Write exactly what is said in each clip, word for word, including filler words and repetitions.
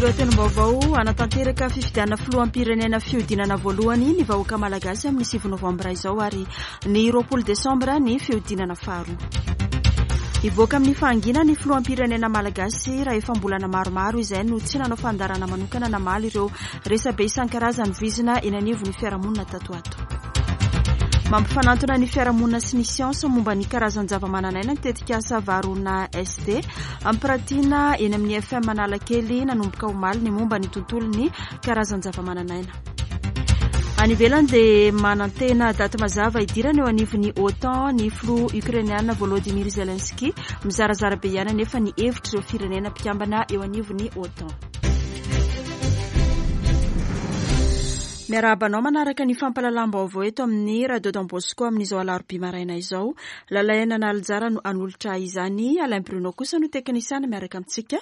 Lohatenim-baovao: hanatanteraka fifidianana filoham-pirenena fihodinana voalohany ny vahoaka malagasy amin'ny sivy novambra izao, ary ny roapolo desambra ny fihodinana faharoa. Hivoaka amin'ny fahanginana ny filoham-pirenena malagasy raha efa am-bolana maromaro izay no tsy nanao fandaharana manokana namaly ireo resabe isan-karazany vizina eny anivon'ny fiarahamonina tato ato. Mampifanantona ny fiarahamonina sy ny siansa momba ny karazan-java-manan'aina ny tetikasa Varuna S D ampiratiana eny amin'ny I F M Analakely nanomboka omaly ny momba ny tontolon'ny karazan-java-manan'aina. Any ivelany dia manantena daty mazava hidirana eo anivon'ny OTAN ny filoha ukrainiana Volodymyr Zelensky. Mizarazara be ihany anefa ny hevitra ireo firenena mpikambana eo anivon'ny OTAN. Miarahaba anao manaraka ny fampahalalam-baovao eto amin'ny Radio Don Bosco amin'izao alarobia maraina izao. Lalaina Nalijara no hanolotra izany, Alain Bruno kosa no teknisiana miaraka amintsika.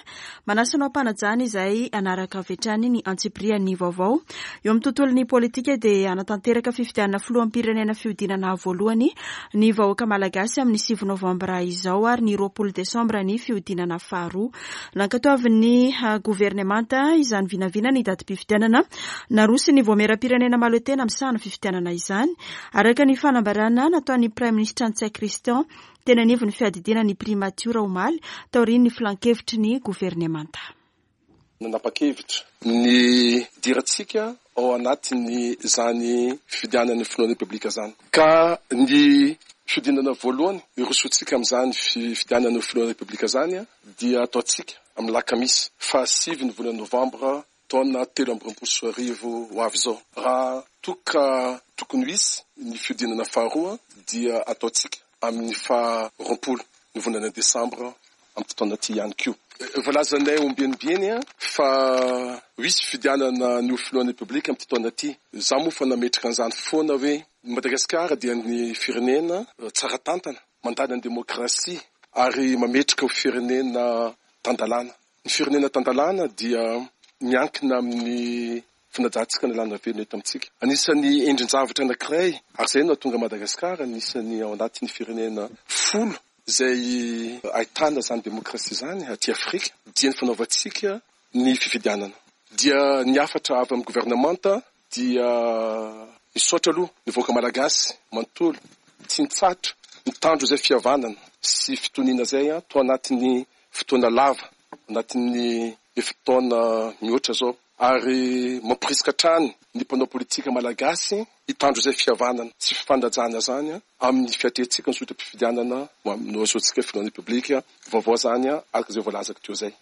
Manasa anao am-panajana izay hanaraka avy hatrany ny antsipirian'ny vaovao. Eo amin'ny tontolon'ny politika dia hanatanteraka fifidianana filoham-pirenena fihodinana voalohany ny vahoaka malagasy amin'ny sivy novambra izao, ary ny roapolo desambra ny fihodinana faharoa. Nankatoavin'ny governemanta izany vinavina ny datim-pifidianana naroso ny vaomieram-pirenena mahaleo tena misahana fifidianana izany, araka ny fanambarana nataon'ny Praiminisitra Ntsay Christian teny anivon'ny fiadidiana ny primatiora omaly taorian'ny filan-kevitry ny governemanta. Nanapa-kevitra ny hidirantsika ao anatin'ny zany fifidianana filohan'ny Repoblika zany, ka ny fihodinana voalohany irosoantsika amin'izany fifidianana filohan'ny Repoblika zany dia ataontsika amin'ny lakamisy fahasivy ny volana novambra taona telo amby roapolo sy arivo ho avy izao. Raha toka tokony ho hisy ny fihodinana faharoa dia ataontsika amin'ny faha roapolo ny volana desambra amin'ity taona ity ihany koa. Voalazanay ombieniombieny fa ho hisy fifidianana ny ho filohan'ny Repoblika amin'ity taona ity. Za moa fa nametraka an'izany foana hoe Madagasikara dia ny firenena tsara tantana, mandala ny demokrasia ary mametraka ho firenena tan-dalàna. Ny firenena tan-dalàna dia miankina amin'ny fanajantsika ny lalàna velona eto amintsika. Anisan'ny endrin-javatra anankiray, ary izay no nahatonga Madagasikara anisan'ny ao anatin'ny firenena folo izay ahitana izany demokrasia izany aty Afrika, dia ny fanaovantsika ny fifidianana. Dia ny hafatra avy amin'ny governemanta dia misaotra aloha ny vahoaka malagasy manontolo tsy nitsahatra nitandro izay fihavanana sy fitoniana izay tao anatin'ny fotoana lava, anatin'ny efa-taona mihoatra zao, ary mampirisika hatrany ny mpanao politika malagasy hitandro izay fihavanana sy fifanajana zany amin'ny fiatrehantsika ny zotram-pifidianana no ahazoantsika filohan'ny Repoblika vaovao zany, araka izay voalazako teo zay.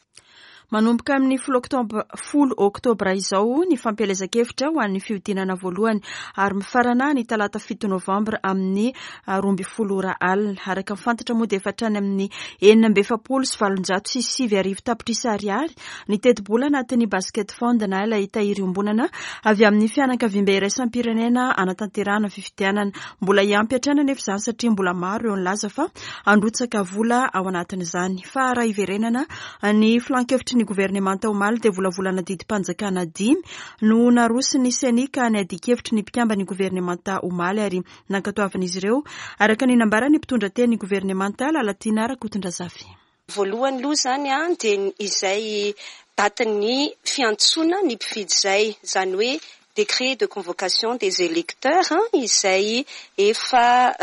Manomboka amin'ny folo oktobra izao ny fampielezan-kevitra ho an'ny fihodinana voalohany, ary mifarana ny talata fito novambra amin'ny roa ambin'ny folo ora alina. Araka ny fantatra moa dia efa hatrany amin'ny enina amby efapolo sy valonjato sy sivy arivo tapitrisa ariary ny tetibola anatin'ny basket fund na ilay tahiry iombonana avy amin'ny fianakaviambe iraisam-pirenena anatanterahana fifidianana. Mbola hiampy hatrany anefa izany satria mbola maro eo nilaza fa handrotsaka vola ao anatin'izany. Fa raha hiverenana ny filan-kevitry ny governemanta omaly dia volavolana didim-panjakana dimy no naroso ny CENI, ka niadian-kevitry ny mpikambana ny governemanta omaly ary nankatoavin'izy ireo, araka ny nambaran'ny mpitondra teny governemanta Lalatiana Rakotondrazafy. Voalohany aloha zany a dia izay datin'ny fiantsoana ny mpifidy izay, zany hoe décret de convocation des électeurs, izay efa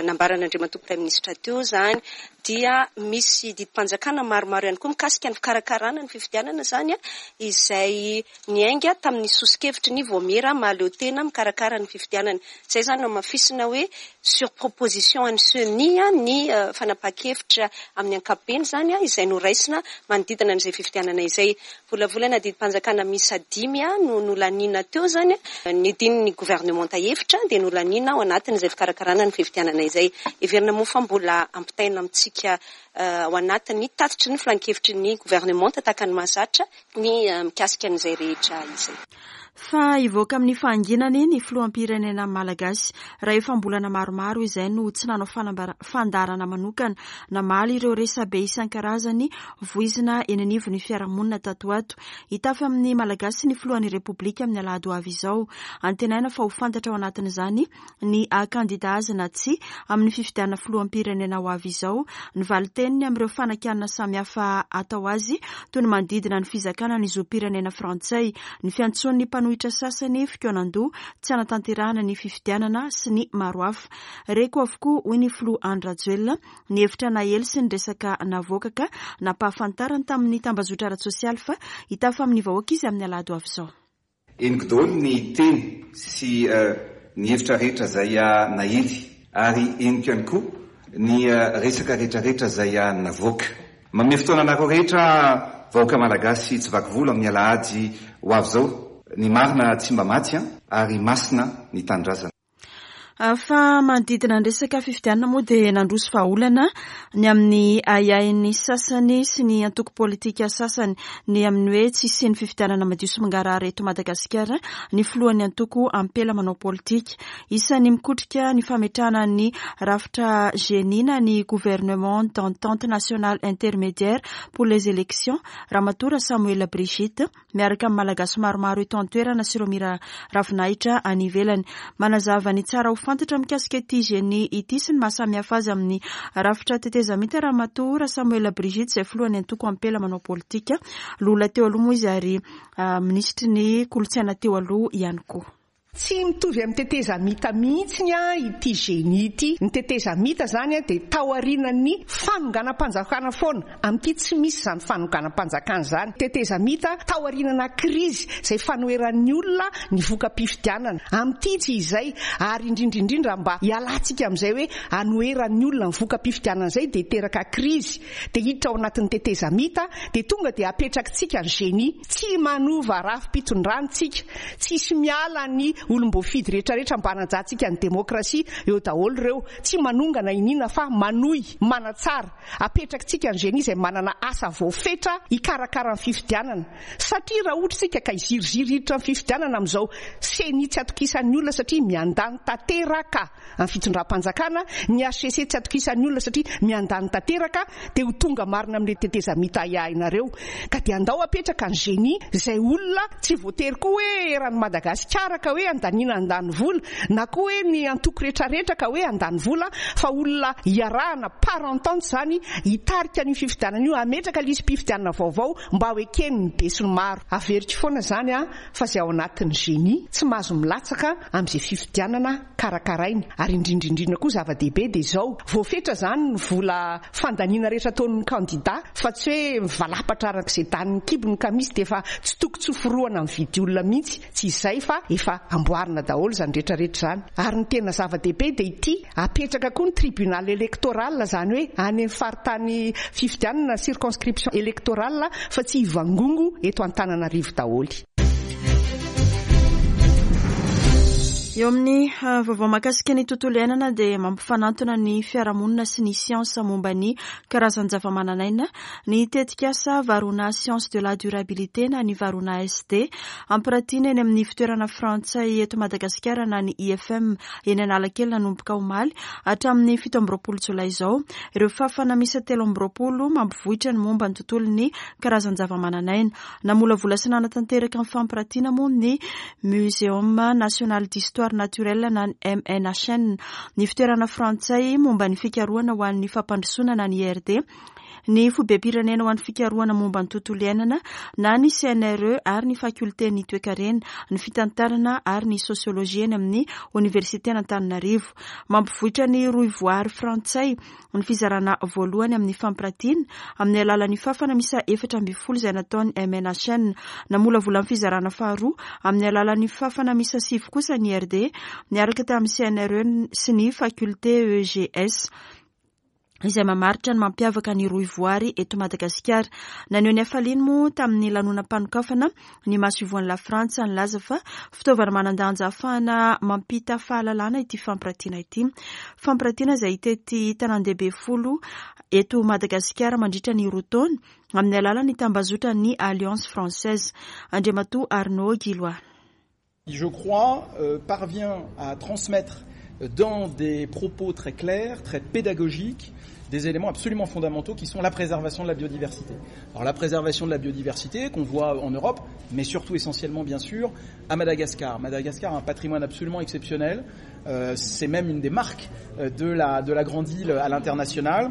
nambaran'Andriamatoa Praiminisitra teo zany. Dia misy didim-panjakana maromaro ihany koa mikasika ny fikarakarana ny fifidianana zany a izay niainga tamin'ny soso-kevitry ny vaomiera mahaleo tena mikarakara ny fifidianana. Izay zany no hamafisina hoe sur proposition an'ny CENI ny fanapahan-kevitra amin'ny ankapobeny zany a izay noraisina manodidina an'izay fifidianana izay. Volavolana didim-panjakana miisa dimy a no nolaniana teo zany, ny dinin'ny gouvernementa hevitra dia nolaniana ao anatin'izay fikarakarana ny fifidianana izay. Heverina moa fa mbola ampitaina amintsika ao anatin'ny tatitry ny filan-kevitry ny gouvernementa tahaka ny mahazatra ny mikasika an'izay rehetra izay. Fa hivoaka amin'ny fahanginany ny filoham-pirenena malagasy raha efa am-bolana maromaro izay no tsy nanao fandaharana manokana namaly ireo resabe isan-karazany voizina eny anivon'ny fiarahamonina tato ho ato. Hitafy amin'ny Malagasy ny filohan'ny Repoblika amin'ny alahady ho avy izao. Antenaina fa ho fantatra ao anatin'izany ny kandida azy na tsia amin'ny fifidianana filoham-pirenena ho avy izao, ny valin-teniny amin'ireo fanakianana samihafa atao azy toy ny manodidina ny fizakana ny zom-pirenena frantsay, ny fiantsoan'ny mpanohitra sasany fikaonan-doha tsy hanatanterahana ny fifidianana sy ny maro hafa. Reko avokoa, hoy ny filoha Andry Rajoelina, ny hevitra nahely sy ny resaka navoaka ka nampahafantarany tamin'ny tambazotra ara-tsosialy fa hitafa amin'ny vahoaka izy amin'ny alahady ho avy izao. Henoko daholo ny teny sy ny hevitra rehetra izay nahely ary henoko ihany koa ny resaka rehetrarehetra izay navoaka. Manome fotoana anareo rehetra vahoaka malagasy tsy vaky volo amin'ny alahady ho avy izao. Ny marina tsy mba maty ary masina ny tanindrazana. Fa manodidina ny resaka fifidianana moa dia nandroso vahaolana ny amin'ny ahiahin'ny sasany sy ny antoko politika sasany ny amin'ny hoe tsy hisian'ny fifidianana madio sy mangarahara eto Madagasikara ny filohan'ny antoko Ampela manao politika. Isan'ny mikotrika ny fametrahana ny rafitra GENI na ny Gouvernement d'entente nationale intermédiaire pour les élections, Ramatoa Samoela Brigitte, miaraka amin'ny Malagasy maromaro eto an-toerana sy ireo mira ravinahitra any ivelany. Manazava ny tsara ho fantatra mikasika ity GENI ity sy ny mahasamihafa azy amin'ny rafitra tetezamita Ramatoa Samoela Brigitte, izay filohan'ny antoko Ampela manao politika. Lola teo aloha moa izy ary minisitry ny kolontsaina teo aloha ihany koa. Tsy mitovy amin'ny tetezamita mihitsy ity GENI ity. Ny tetezamita zany dia taorian'ny fanonganam-panjakana foana. Amin'ity tsy misy izany fanonganam-panjakana izany. Tetezamita taorianana krizy izay fanoheran'ny olona ny voka-pifidianana. Amin'ity tsy izay, ary indrindra indrindra mba hialantsika amin'izay hoe anoheran'ny olona ny voka-pifidianana izay dia teraka krizy. Dia hiditra ao anatin'ny tetezamita dia tonga dia apetrakitsika ny GENI. Tsy manova rafi-pitondrana tsika. Tsisy miala ny olom-boafidy rehetrarehetra mba hanajantsika ny demokrasia eo daholo ireo. Tsy manongana iniana fa manohy manatsara. Apetrakitsika ny GENI izay manana asa voafetra hikarakara ny fifidianana. Satria raha ohatra isika ka hiziriziry hiditra amin'ny fifidianana amin'izao CENI tsy atokisan'ny olona satria miandany tanteraka amin'ny fitondram-panjakana, ny H C C tsy atokisan'ny olona satria miandany tanteraka, dia ho tonga marina amin'ilay tetezamita ahiahinareo. Ka dia andao apetraka ny GENI izay olona tsy voatery koa hoe eran'i Madagasikara ka hoe andaniana andany vola, na koa hoe ny antoko rehetrarehetra ka hoe andany vola, fa olona iarahana par entente izany hitarika ny fifidianana io, hametraka lisi-pifidianana vaovao mba ho eken'ny besinimaro. Averiko foana izany a, fa izay ao anatin'ny GENI tsy mahazo milatsaka amin'izay fifidianana karakarainy. Ary indrindra indrindra koa zava-dehibe dia izao, voafetra izany ny vola fandaniana rehetra ataon'ny kandida, fa tsy hoe mivalapatra arak'izay danin'ny kibony ka misy dia efa tsy toko tsy hoforohana mividy olona mihitsy. Tsy izay fa efa amboarina daholo izany rehetrarehetra izany. Ary ny tena zava-dehibe dia ity, apetraka koa ny tribunal électoral, izany hoe any amin'ny faritany fifidianana circonscription électorale, fa tsy hivangongo eto Antananarivo daholo. Eo amin'ny vaovao mahakasika ny tontolo iainana dia mampifanantona ny fiarahamonina sy ny siansa momba ny karazan-java-mananaina ny tetikasa Varuna Science de la Durabilité na ny Varuna S D ampiratiana eny amin'ny fitoerana frantsay eto Madagasikara na ny I F M eny Analakely nanomboka omaly hatramin'ny fito amby roapolo jolay izao. Ireo fafana miisa telo amby roapolo mampivoitra ny momba ny tontolon'ny karazan-java-mananaina. Namolavola sy nanatanteraka ny fampiratiana moa ny Muséum National d'Histoire Naturelle na ny M N H N, ny fitoerana frantsay momba ny fikarohana ho an'ny fampandrosoana na ny I R D, ny foibem-pirenena ho an'ny fikarohana momba ny tontolo iainana na ny C N R E ary ny fakulten'ny toekarena, ny fitantarana ary ny sosiolojia eny amin'ny Oniversiten'Antananarivo. Mampivoitra ny rohivoary frantsay ny fizarana voalohany amin'ny fampiratiana amin'ny alalan'ny fafana miisa efatra ambin'ny folo izay nataon'ny M N H N. Namolavola ny fizarana faharoa amin'ny alalan'ny fafana miisa sivy kosa ny I R D niaraka tamin'ny C N R E sy ny faculté E G S izay mamaritra ny mampiavaka ny rohivoary eto Madagasikara. Naneho ny hafaliany moa tamin'ny lanonam-panokafana ny masoivohon'i La Frantsa nilaza fa fitaovana manan-danja ahafahana mampita fahalalana ity fampiratiana ity. Fampiratiana izay hitety tanàn-dehibe folo eto Madagasikara mandritra ny roa taona amin'ny alalan'ny tambazotran'ny Alliance Française. Andriamatoa Arnaud Guillois. Je crois euh, parvient à transmettre dans des propos très clairs, très pédagogiques, des éléments absolument fondamentaux qui sont la préservation de la biodiversité. Alors la préservation de la biodiversité qu'on voit en Europe, mais surtout essentiellement bien sûr à Madagascar. Madagascar a un patrimoine absolument exceptionnel, euh, c'est même une des marques de la, de la grande île à l'international.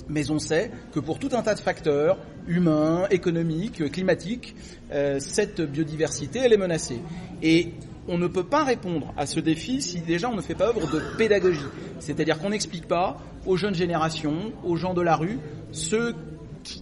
Mais on sait que pour tout un tas de facteurs, humains, économiques, climatiques, euh, cette biodiversité, elle est menacée. Et on ne peut pas répondre à ce défi si déjà on ne fait pas œuvre de pédagogie. C'est-à-dire qu'on n'explique pas aux jeunes générations, aux gens de la rue, ce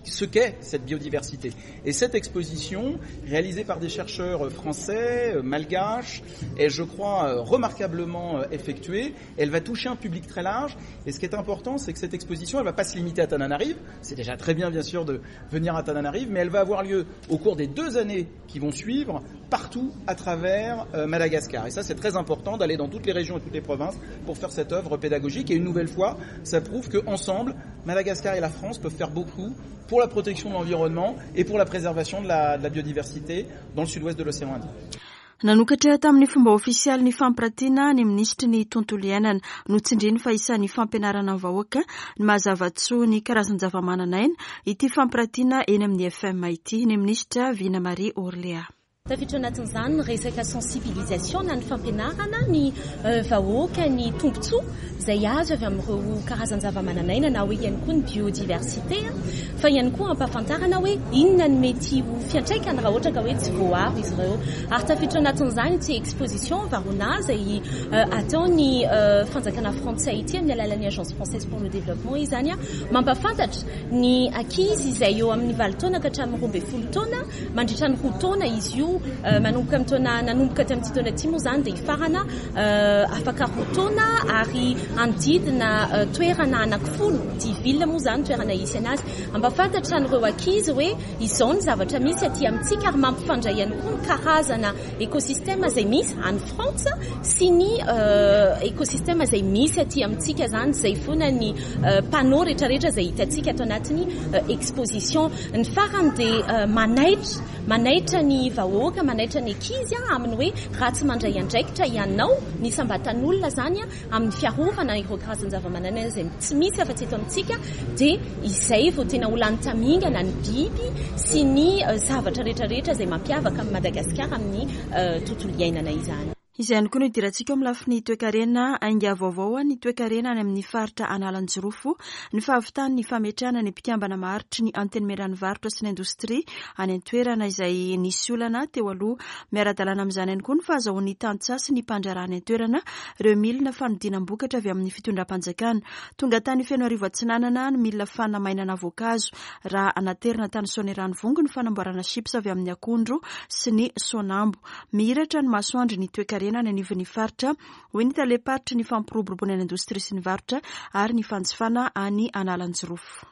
ce qu'est cette biodiversité. Et cette exposition, réalisée par des chercheurs français, malgaches, est, je crois, remarquablement effectuée. Elle va toucher un public très large. Et ce qui est important, c'est que cette exposition, elle ne va pas se limiter à Tananarive. C'est déjà très bien, bien sûr, de venir à Tananarive, mais elle va avoir lieu au cours des deux années qui vont suivre, partout à travers Madagascar. Et ça, c'est très important d'aller dans toutes les régions et toutes les provinces pour faire cette œuvre pédagogique. Et une nouvelle fois, ça prouve qu'ensemble, Madagascar et la France peuvent faire beaucoup pour la protection de l'environnement et pour la préservation de la, de la biodiversité dans le sud-ouest de l'océan Indien. Nanokatra tamin'ny fomba ofisialy ny fampiratiana ny minisitry ny tontolo iainana. Notsindriny fa isan'ny fampianarana ny vahoaka ny mahazava-tsoa ny karazan-java-mananaina ity fampiratiana eny amin'ny F M ity. Ny minisitra Vina Marie Orléa. Tafiditra anatin'izany ny resaka sensibilisation na ny fampianarana ny vahoaka ny tombontsoa izay azo avy amin'ireo karazan-java-mananaina na hoe ihany koa ny biodiversité, fa ihany koa ampahafantarana hoe inona ny mety ho fiantraikany raha ohatra ka hoe tsy voaro izy ireo. Ary tafiditra anatin'izany ity exposition Varuna izay ataon'ny fanjakana frantsay ity amin'ny alalan'ny Agence française pour le développement izany, mampahafantatra ny ankizy izay eo amin'ny valo taona ka hatramin'ny roa ambin'ny folo taona mandritra ny roa taona izy io. Manomboka amin'ny taona nanomboka tamin'ity taona ity moa izany dia hifarana afaka roa taona ary anodidina toerana anankifolo dix ville moa izany toerana hisy anazy. Ampahafantatra an'ireo ankizy hoe izao ny zavatra misy aty amintsika ary mampifandray ihany koa ny karazana écosystème izay misy any Frantsa sy ny écosystème izay misy aty amintsika izany, izay foana ny panneau rehetrarehetra izay hitantsika ato anatin'ny exposition. Ny farany dia manaitra manaitra ny vahoaka, manaitra ny ankizy amin'ny hoe raha tsy mandray andraikitra ianao ny sambatan'olona izany amin'ny fiarovana ireo karazan-java-mananaina izay tsy misy afa-tsy eto amintsika, dia izay vao tena ho lany tamingana ny biby sy ny zavatra rehetrarehetra izay mampiavaka amin'i Madagasikara amin'ny tontolo iainana izany. Izay ihany koa no idirantsika amin'ny lafiny toekarena. Ainga vaovao ny toekarena any amin'ny faritra Analanjirofo, ny fahavitan'ny fametrahana ny mpikambana maharitry ny Antenimieran'ny varotra sy ny indostria any an-toerana izay nisy olana teo aloha. Miara-dalàna amin'izany ihany koa ny fahazahoan'ny tantsaha sy ny mpandraharaha any an-toerana ireo milina fanodinam-bokatra avy amin'ny fitondram-panjakana. Tonga tany Fenoarivo Atsinanana ny milina fanamainana voankazo, raha anaterina tany Soanierana-Vongo ny fanamboarana chips avy amin'ny akondro sy ny soanambo. Mihiratra ny masoandro ny toekarena any anivon'ny faritra, hoy ny tale-paritry ny fampiroboroboana ny indostria sy ny varotra ary ny fanjifana any Analanjirofo.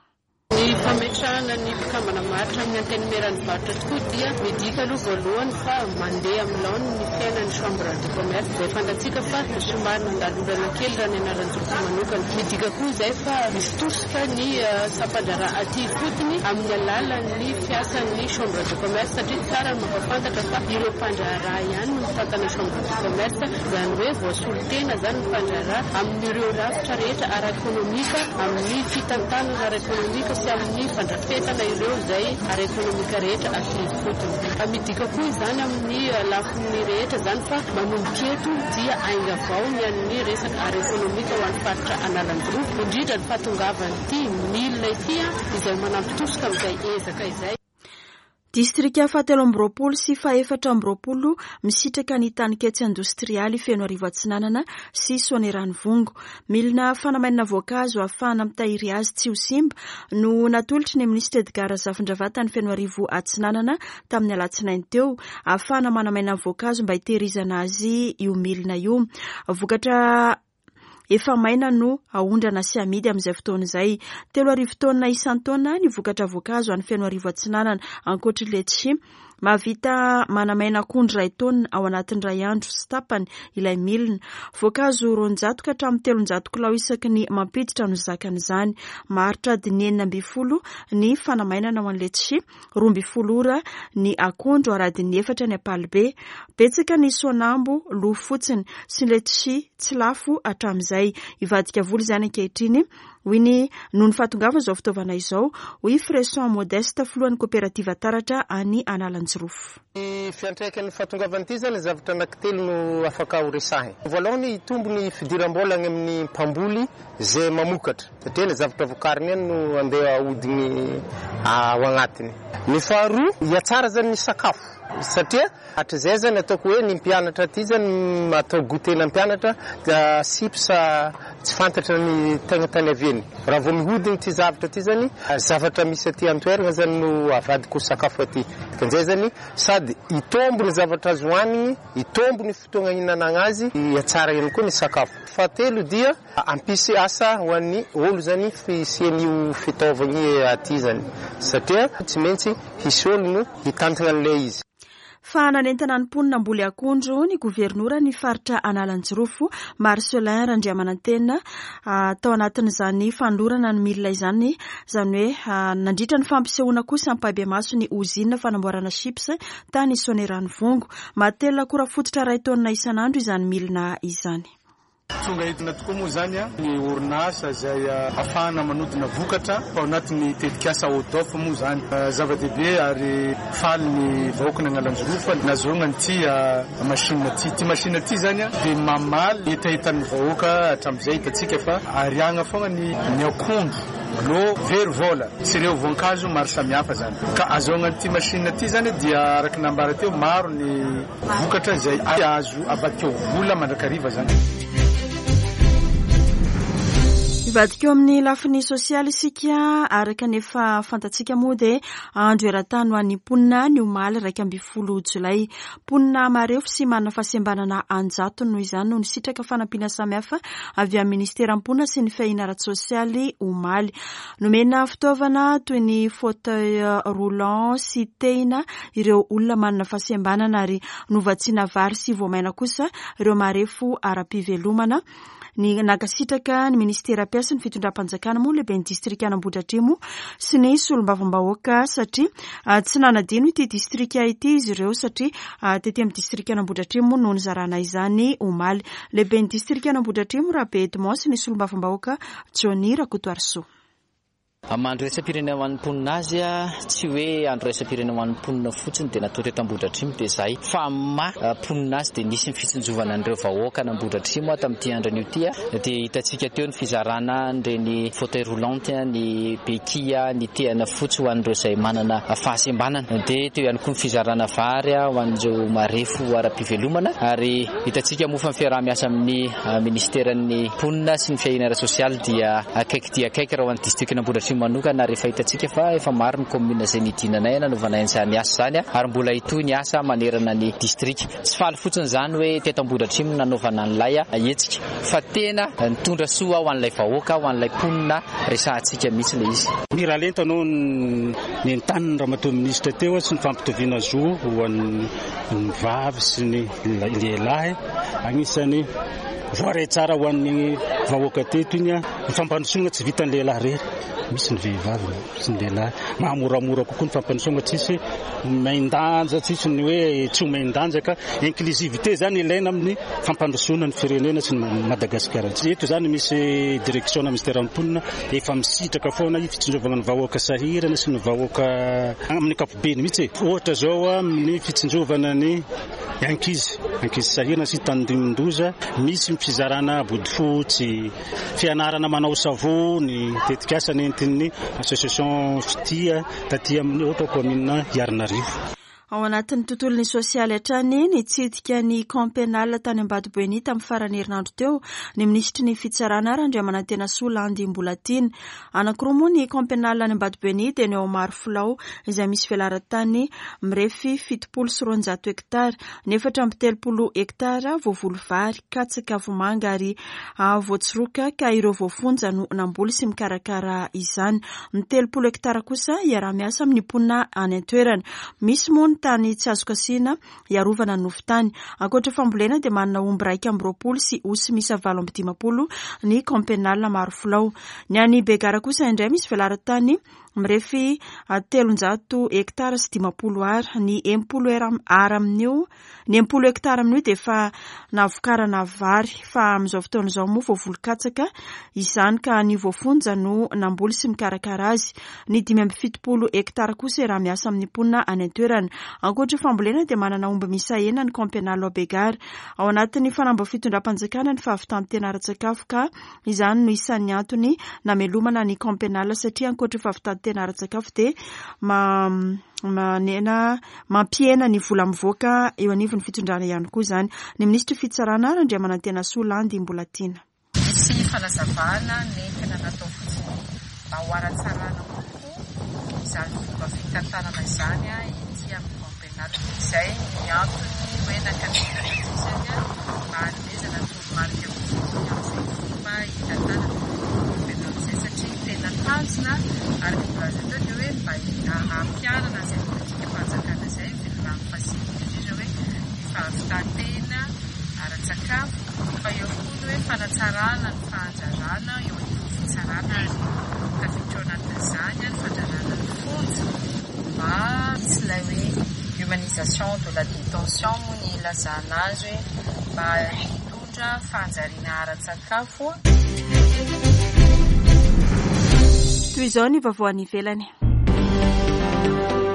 Ny fametrahana ny mpikambana maharitra amin'ny Antenimieran'ny varotra tokoa dia midika aloha voalohany fa mandeha amin'ny laoniny ny fiainan'ny chambre de commerce izay fantatsika fa somary nandalo olana kely raha ny Analanjirofo manokana. Midika koa izay fa misy tosika ny sampandraharaha aty ifotony amin'ny alalan'ny fiasan'ny chambre de commerce, satria tsara ny mampafantatra fa ireo mpandraharaha ihany no mitantana chambre de commerce, izany hoe voasolo tena izany ny mpandraharaha amin'ireo rafitra rehetra ara-ekonomika, amin'ny fitantanana ara-ekonomika sy amin'ny fandrafetana ireo izay ara-ekonomika rehetra aty ifotony. Midika koa izany amin'ny lafiny rehetra izany fa manomboka eto dia ainga vao ny an'ny resaka ara-ekonomika ho an'ny faritra Analanjirofo, indrindra ny fahatongavan'ity milina ity izay manampy tosika amin'izay ezaka izay. Distrika fahatelo amby roapolo sy fahefatra amby roapolo misitraka ny taninketsy indostrialy Fenoarivo Atsinanana sy Soanierana-Vongo. Milina fanamainana voankazo ahafahana mitahiry azy tsy ho simba no natolotry ny minisitra Edgar Zafindravata ny Fenoarivo Atsinanana tamin'ny alatsinainy teo, ahafahana manamaina voankazo mba hitehirizana azy io milina io. Vokatra efa maina no aondrana sy amidy amin'izay fotoana izay. Telo arivo taonina isan-taona ny vokatra voankazo any Fenoarivo Atsinanana. Ankoatry letchi, mahavita manamaina akondro iray taonina ao anatin'ny iray andro sy tapany ilay milina. Voankazo roanjato ka hatramin'ny telonjato kilao isaky ny mampiditra no zakan'izany. Maharitra adiny enina ambin'ny folo ny fanamainana ho an'ny letchi, roa ambin'ny folo ora ny akondro ary adiny efatra ny ampalibe. Betsaka ny soanambo lo fotsiny sy ny letchi tsy lafo hatramin'izay. Hivadika vola izany ankehitriny, hoy ny noho ny fahatongavan'izao fitaovana izao, hoy Fresson Modeste, filohan'ny koperativa Taratra any Analanjirofo. Ny fiantraikan'ny fahatongavan'ity zany zavatra anankitelo no afaka ho resahina. Voalohany, hitombo ny fidiram-bola any amin'ny mpamboly izay mamokatra, satria ny zavatra vokariny ihany no andeha ahodiny ao agnatiny. Ny faharoa, hiatsara zany ny sakafo, satria hatrizay zany ataoko hoe ny mpianatra aty zany atao goûter mpianatra dia chips tsy fantatra ny tegna tany avy. Raha vao mihodiny ity zavatra ity zany, zavatra misy aty an-toerana zany no avadiko sakafo aty. Dikan'izay zany sady hitombo ny zavatra azo hohanigny, hitombo ny fotoana hihinanana azy, hiatsara ihany koa ny sakafo. Fahatelo dia hampisy asa ho an'ny olo zany fisian'io fitaovana aty zany, satria tsy maintsy hisy olo no hitantana an'ilay izy. Fa nanentana ny mponina hamboly akondro ny governora ny faritra Analanjirofo Marcelin Randriamanantena tao anatin'izany fanolorana ny milina izany, izany hoe nandritra ny fampisehoana kosa ampahibemaso ny ozinina fanamboarana chips tany Soanieranivongo. Mahatelina akora fototra iray taonina isan'andro izany milina izany. Tonga entina tokoa moa zany ny orinasa izay ahafahana manodina vokatra ao anatin'ny tetikasa O D O F moa zany. Zava-dehibe ary faly ny vahoaka ny Analanjirofo nahazoana an'ity machine ity. Ity machine ity zany dia mamaly hetahetan'ny vahoaka hatramin'izay. Hitantsika fa ariagna foana ny ny akondro lo very vola sy ireo voankazo maro samihafa zany, ka ahazoana an'ity machine ity zany dia araka nambara teo, maro ny vokatra izay azo avadika ho vola mandrakariva zany. Hivadika eo amin'ny lafiny sosialy isika. Araka ny efa fantatsika moa dia andro eran-tany ho an'ny mponina ny omaly iraika ambin'ny folo jolay. Mponina marefo sy manana fahasembanana anjatony noho izany no nisitraka fanampiana samihafa avy amin'ny ministeran'ny mponina sy ny fiahiana ara-tsosialy omaly. Nomena fitaovana toy ny fauteuil roulant sy tehina ireo olona manana fahasembanana ary novatsiana vary sy voamaina kosa ireo marefo ara-pivelomana. Ny nankasitraka ny ministera mpiasa ny fitondram-panjakana moa lehibe ny distrika Ambohidratrimo sy ny solombavambahoaka, satria tsy nanadino ity distrika ity izy ireo, satria tety amin'ny distrika Ambohidratrimo no nizarana izany omaly. Lehibe ny distrika Ambohidratrimo Rabe Edmond sy ny solombavambahoaka Johnny Rakotoarisoa. Andro iraisam-pirenena ho an'ny mponina azy a, tsy hoe andro iraisam-pirenena ho an'ny mponina fotsiny dia natao teto Ambohidratrimo dia zay, fa ma mponina azy dia nisy ny fitsinjovana an'ireo vahoaka an'Ambohidratrimo tamin'ity andro ity a. Dia hitantsika teo ny fizarana an'ireny fauteuil roulant, ny béquille, ny tehana fotsy ho an'ireo izay manana fahasembanana. Dia teo ihany koa ny fizarana vary ho an'ireo marefo ara-pivelomana. Ary hitantsika moa fa ny fiaraha-miasa amin'ny ministeran'ny mponina sy ny fiahiana ara-sosialy dia akaiky dia akaiky raha ho an'ny district Ambohidratrimo manokana, ary efa hitantsika fa efa maro ny commune izay nidinanay nanaovana izany asa izany, ary mbola hitohy ny asa manerana ny distrika. Tsy faly fotsiny izany hoe teto Ambohidratrimo nanaovana an'ilay hetsika, fa tena nitondra soa ho an'ilay vahoaka, ho an'ilay mponina resahantsika mihitsy ilay izy. Miralenta anao ny entaniny ramatoa ministra teo sy ny fampitoviana zo ho an'ny vavy sy ny lehilahy. Anisan'ny voaray tsara ho an'ny vahoaka teto iny a. Ny fampandrosoana tsy vitan'ny lehilahy rery, misy ny vehivavy sy ny lehilahy. Mahamoramora kokoa ny fampandrosoana, tsisy main-danja, tsisy ny hoe tsy ho main-danja, ka inclusivité zany ilaina amin'ny fampandrosoana ny firenena sy ny Madagasikara. Eto zany misy direction na ministère mponina efa misitraka foana fitsinjovana ny vahoaka sahirana sy ny vahoaka amin'ny ankapobeny mihitsy. Ohatra zao amin'ny fitsinjovana ny ankizy ankizy sahirana sy tandindondoza, misy fizarana bodofotsy, fianarana manao savony, tetikasa nentin'ny association Fitia taty amin'ny ohatra commune Iarinarivo. Ao anatin'ny tontolon'ny sosialy hatrany, nitsidika ny camp pénal tany Ambatoboeny tamin'ny faran'ny herinandro teo ny minisitry ny fitsarana Randriamanantenasoa Landy Mbolatiana. Anankiroa moa ny camp pénal any Ambatoboeny dia ny ao Marofilao izay misy velaran-tany mirefy fitopolo sy roanjato hektara, ny efatra amby telopolo hektara voavoly vary, katsaka, vomanga ary voatsiroka ka ireo voafonja no namboly sy mikarakara izany. Ny telopolo hektara kosa iaraha-miasa amin'ny mponina any an-toerana. Misy moa ny tany tsy azo kasihina hiarovana ny nofon-tany. Ankoatra fambolena dia manana omby iraika amby roapolo sy osy miisa valo amby dimampolo ny camp pénal Marofilao. Ny any Begara kosa indray misy velaran-tany mirefy telonjato hektara sy dimampolo ara. Ny enimpolo ara amin'io, ny enimpolo hektara amin'io dia efa navokarana vary fa amin'izao fotoana izao moa voavoly katsaka izany ka ny voafonja no namboly sy mikarakara azy. Ny dimy amby fitopolo hektara kosa raha miasa amin'ny mponina any an-toerana. Ankoatra fambolena dia manana omby miisa enina ny camp pénal ao Begara. Ao anatin'ny fanamby fitondram-panjakana ny fahavitan-tena ara-tsakafo ka izany no isan'ny antony namelomana ny camp pénal satria ankoatra fahavitan-tena ara-tsakafo dia manena mampihena ny vola mivoaka eo anivon'ny fitondrana ihany koa izany. Ny minisitry fitsarana Randriamanantenasoa Landy Mbolatiana. Misy fanazavana nentina natao fotsiny mba ho ara-tsarana kokoa izany fomba fitantanana izany ety amin'ny camp pénal. Izay ny antony hoe nakanina izany mba hanomezana toromarika kokoa amin'izay fomba hitantanana camp pénal izay satria tena tanjona araka ny voalaza teo dia hoe mba hampiharana izay politikam-panjakana izay velirano fahasivy indrindra hoe ny fahavitan-tena ara-tsakafo fa eo koa ny hoe fanatsarana ny fahandrarana eo anivon'ny fitsarana ary tafiditra ao anatin'izany ny fandrarana ny fonja mba misy ilay hoe humanisation de la détention moa ny ilazana azy hoe mba hitondra fahanjariana ara-tsakafo. Toy izao ny vaovao any ivelany.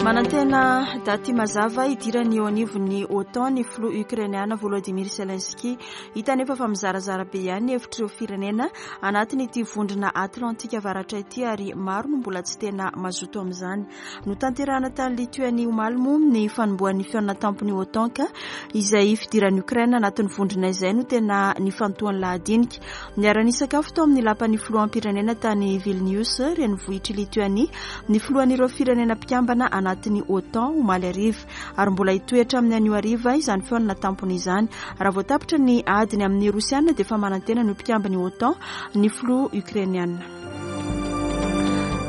Manantena daty mazava hidirany eo anivon'ny OTAN ny filoha ukrainiana Volodymyr Zelensky. Hita nefa fa mizarazara be ihany ny hevitr'ireo firenena anatin'ity vondrona Atlantika Avaratra ity ary maro no mbola tsy tena mazoto amin'izany. Notanterahana tany Lituanie omaly moa ny fanombohan'ny fihaonana tampon'ny OTAN ka izay fidiran'i Ukraine anatin'ny vondrona izay no tena nifantohan'ny lahadinika. Niara-nisakafo tao amin'ny lapan'ny filoham-pirenena tany Vilnius, renivohitr'i Lituanie, ny filohan'ireo firenena mpikambana anatin'ny OTAN omaly hariva ary mbola hitoetra amin'ny anio hariva izany fihaonana tampony izany. Raha vao tapitra ny adiny amin'ny Rosiana dia efa manantena ny mpikambana OTAN ny filoha ukrainiana.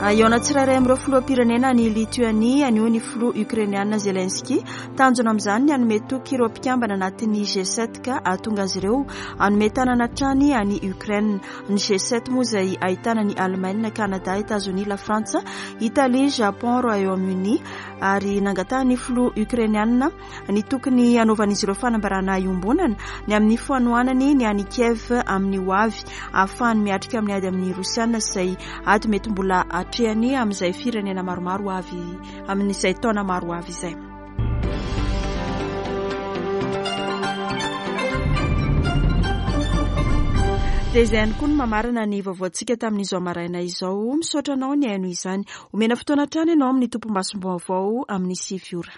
Hihaona tsirairay amin'ireo filoham-pirenena any Lituanie anio ny filoha ukrainiana Zelensky. Tanjona amin'izany ny hanome toky ireo mpikambana anatin'ny G sept ka hahatonga azy ireo hanome tanana hatrany any Ukraine. Ny G sept moa izay ahitana ny Allemagne, Canada, Etazonia, La Frantsa, Italie, Japon, Royaume-Uni ary nangatahan'ny filoha ukrainiana ny tokony hanaovan'izy ireo fanambarana iombonana ny amin'ny fanohanany ny any Kiev amin'ny ho avy ahafahany miatrika amin'ny ady amin'ny Rosiana izay ady mety mbola atrehany amin'izay firenena maromaro avy amin'izay taona maro avy izay. Dia izay ihany koa no mamarana ny vaovaontsika tamin'izao maraina izao. Misaotra anao ny haino izany. Omena fotoana hatrany ianao amin'ny tompom-basom-baovao amin'ny sivy ora.